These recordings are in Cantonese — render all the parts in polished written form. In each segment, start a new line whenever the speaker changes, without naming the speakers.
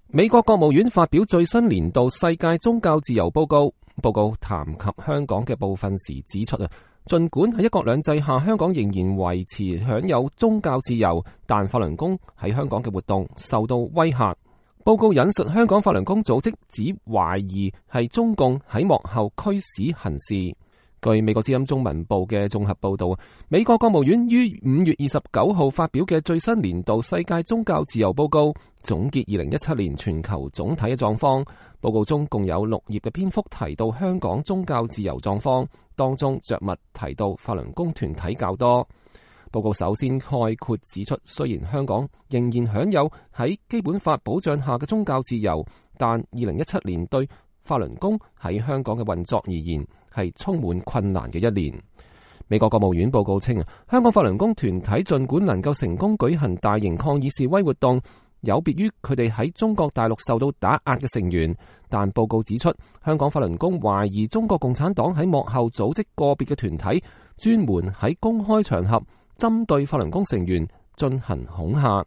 美國國務院發表最新年度世界宗教自由報告，報告談及香港嘅部分時指出盡管喺一國兩制下，香港仍然維持享有宗教自由，但法輪功喺香港嘅活動受到威嚇。報告引述香港法輪功組織指懷疑係中共喺幕後驅使行事。據美國之音中文部嘅綜合報道，美國國務院於5月29號發表嘅最新年度世界宗教自由報告，總結2017年全球總體嘅狀況。報告中共有6頁嘅篇幅提到香港宗教自由狀況，當中着墨提到法輪功團體較多。報告首先概括指出，雖然香港仍然享有喺基本法保障下嘅宗教自由，但2017年對法輪功喺香港嘅運作而言係充滿困難嘅一年。美國國務院報告稱，香港法輪功團體盡管能夠成功舉行大型抗議示威活動，有別於佢哋喺中國大陸受到打壓嘅成員，但報告指出，香港法輪功懷疑中國共產黨喺幕後組織個別嘅團體，專門喺公開場合針對法輪功成員進行恐嚇。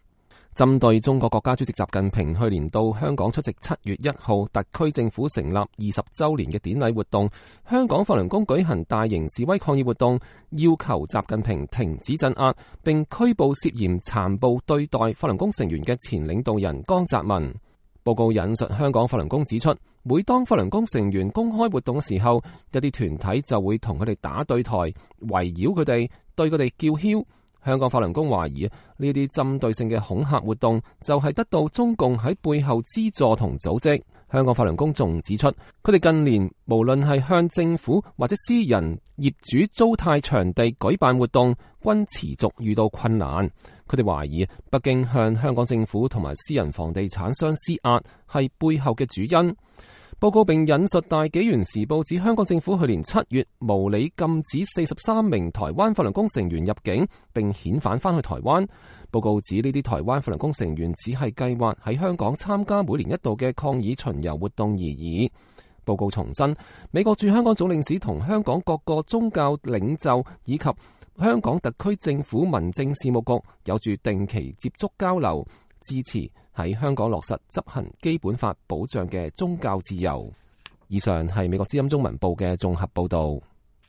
針對中國國家主席習近平去年到香港出席7月1號特區政府成立20週年嘅典禮活動，香港法輪功舉行大型示威抗議活動，要求習近平停止鎮壓，並拘捕涉嫌殘暴對待法輪功成員嘅前領導人江澤民。報告引述香港法輪功指出，每當法輪功成員公開活動嘅時候，一啲團體就會同佢哋打對台，圍繞佢哋，對佢哋叫囂。香港法輪功懷疑呢啲針對性嘅恐嚇活動就係得到中共喺背後資助同組織。香港法輪功仲指出，佢哋近年無論係向政府或者私人業主租貸場地舉辦活動，均持續遇到困難。佢哋懷疑北京向香港政府同埋私人房地產商施壓係背後嘅主因。報告並引述大紀元時報指，香港政府去年7月無理禁止43名台灣法輪功成員入境，並遣返返去台灣。報告指呢啲台灣法輪功成員只係計劃喺香港參加每年一度嘅抗議巡遊活動而已。報告重申，美國駐香港總領事同香港各個宗教領袖以及香港特區政府民政事務局有住定期接觸交流，支持喺香港落實執行基本法保障嘅宗教自由。以上係美國之音中文部嘅綜合報道。